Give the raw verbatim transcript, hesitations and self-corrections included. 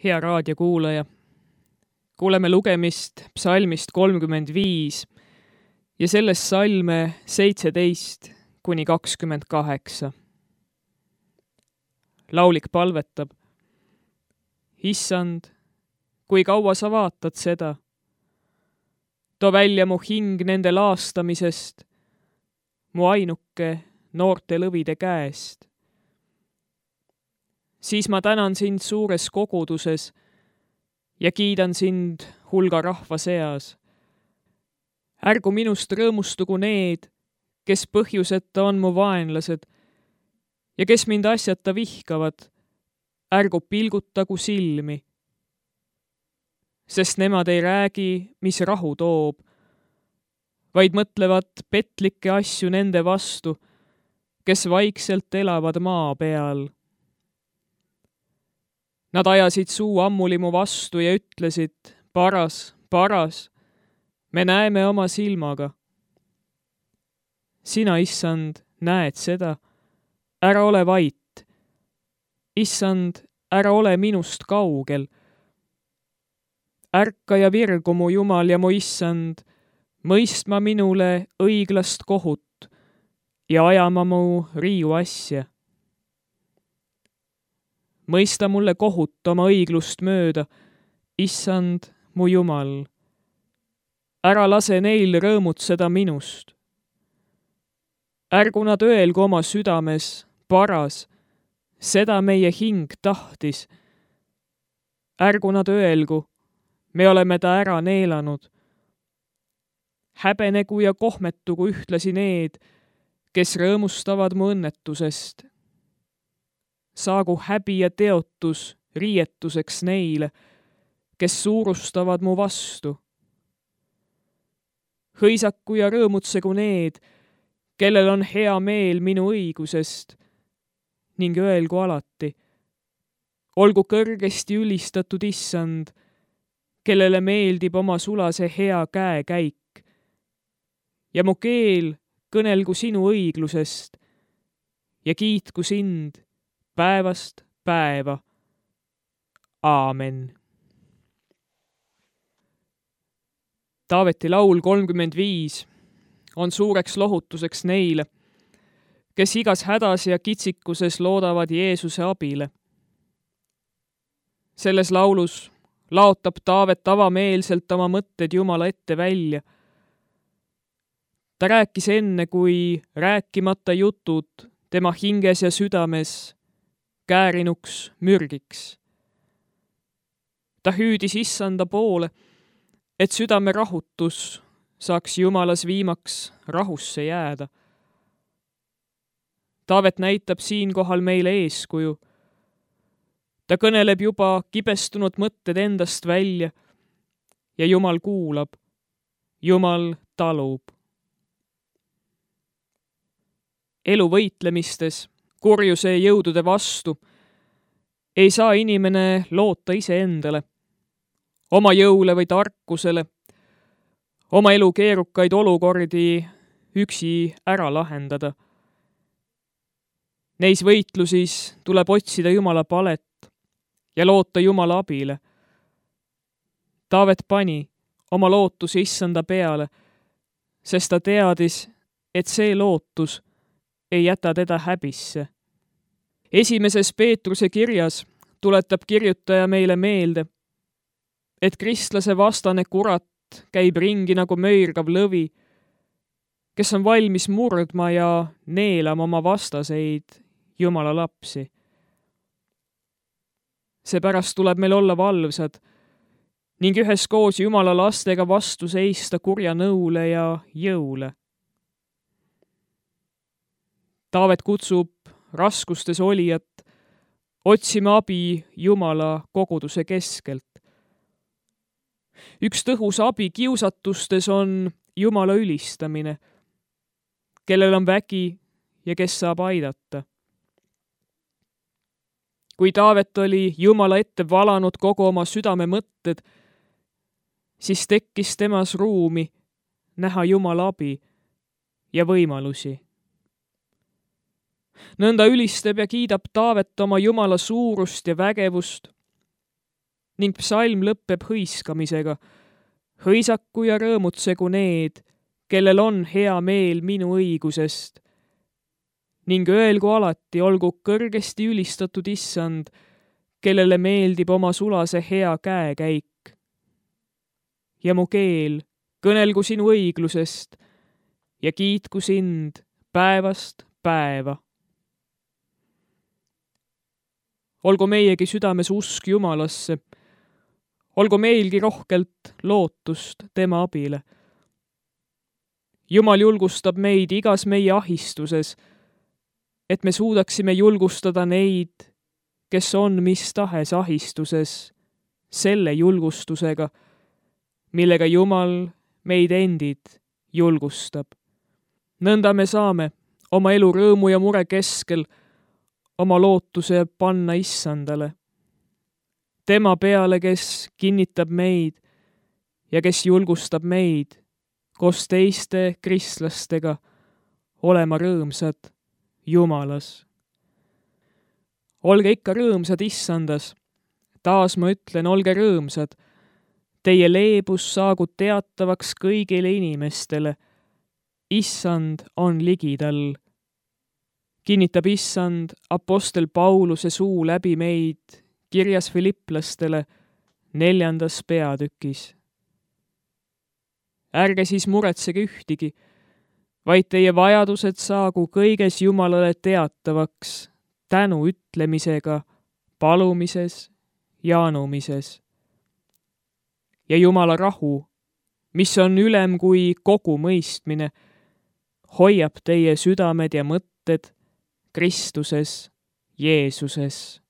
Hea raadiokuulaja, kuuleme lugemist psalmist kolmkümmend viis ja sellest salme seitseteist kuni kakskümmend kaheksa. Laulik palvetab: Issand, kui kaua sa vaatad seda? Too välja mu hing nende laastamisest, mu ainuke noorte lõvide käest. Siis ma tänan sind suures koguduses ja kiidan sind hulga rahva seas. Ärgu minust rõõmustugu need, kes põhjuseta on mu vaenlased ja kes mind asjata vihkavad, ärgu pilgutagu silmi. Sest nemad ei räägi, mis rahu toob, vaid mõtlevad petlikke asju nende vastu, kes vaikselt elavad maa peal. Nad ajasid suu ammuli mu vastu ja ütlesid: paras, paras, me näeme oma silmaga. Sina, issand, näed seda, ära ole vait. Issand, ära ole minust kaugel. Ärka ja virgu mu Jumal ja mu issand, mõistma minule õiglast kohut ja ajama mu riiu asja. Mõista mulle kohut oma õiglust mööda, issand, mu Jumal. Ära lase neil rõõmutseda minust. Ärgu nad öelgu oma südames: paras, seda meie hing tahtis. Ärgu nad öelgu: me oleme ta ära neelanud. Häbenegu ja kohmetugu ühtlasi need, kes rõõmustavad mu õnnetusest. Saagu häbi ja teotus riietuseks neile, kes suurustavad mu vastu. Hõisaku ja rõõmutsegu need, kellel on hea meel minu õigusest, ning öelgu alati: olgu kõrgesti ülistatud issand, kellele meeldib oma sulase hea käekäik. Ja mu keel kõnelgu sinu õiglusest ja kiitku sind päevast päeva. Aamen. Taaveti laul kolmkümmend viis on suureks lohutuseks neile, kes igas hädas ja kitsikuses loodavad Jeesuse abile. Selles laulus laotab Taavet avameelselt oma mõtted Jumala ette välja. Ta rääkis enne, kui rääkimata jutud tema hinges ja südames käärinuks mürgiks. Ta hüüdis issanda poole, et südame rahutus saaks Jumalas viimaks rahusse jääda. Taavet näitab siinkohal meile eeskuju. Ta kõneleb juba kibestunud mõtted endast välja ja Jumal kuulab, Jumal talub. Elu võitlemistes kurjuse jõudude vastu ei saa inimene loota iseendale, oma jõule või tarkusele, oma elu keerukaid olukordi üksi ära lahendada. Neis võitlusis tuleb otsida Jumala palet ja loota Jumala abile. Taavet pani oma lootuse issanda peale, sest ta teadis, et see lootus ei jäta teda häbisse. Esimeses Peetruse kirjas tuletab kirjutaja meile meelde, et kristlase vastane kurat käib ringi nagu möirgav lõvi, kes on valmis murdma ja neelama oma vastaseid, Jumala lapsi. Seepärast tuleb meil olla valvsad ning üheskoos Jumala lastega vastu seista kurja nõule ja jõule. Taavet kutsub raskustes olijat otsima abi Jumala koguduse keskelt. Üks tõhus abi kiusatustes on Jumala ülistamine, kellel on vägi ja kes saab aidata. Kui Taavet oli Jumala ette valanud kogu oma südame mõtted, siis tekkis temas ruumi näha Jumala abi ja võimalusi. Nõnda ülistab ja kiidab Taavet oma Jumala suurust ja vägevust ning psalm lõpeb hõiskamisega. Hõisaku ja rõõmutsegu need, kellel on hea meel minu õigusest. Ning öelgu alati, olgu kõrgesti ülistatud issand, kellele meeldib oma sulase hea käekäik. Ja mu keel, kõnelgu sinu õiglusest ja kiitku sind päevast päeva. Olgu meiegi südames usk Jumalasse, olgu meilgi rohkelt lootust tema abile. Jumal julgustab meid igas meie ahistuses, et me suudaksime julgustada neid, kes on mis tahes ahistuses, selle julgustusega, millega Jumal meid endid julgustab. Nõnda me saame oma elu rõõmu ja mure keskel oma lootuse panna issandale. Tema peale, kes kinnitab meid ja kes julgustab meid koos teiste kristlastega olema rõõmsad Jumalas. Olge ikka rõõmsad issandas. Taas ma ütlen, olge rõõmsad. Teie leebus saagu teatavaks kõigile inimestele. Issand on ligidal. Kinnitab issand apostel Pauluse suu läbi meid kirjas Filipplastele neljandas peatükis. Ärge siis muretsege ühtigi, vaid teie vajadused saagu kõiges Jumalale teatavaks tänu ütlemisega, palumises ja anumises. Ja Jumala rahu, mis on ülem kui kogu mõistmine, hoiab teie südamed ja mõtted Kristuses Jeesuses.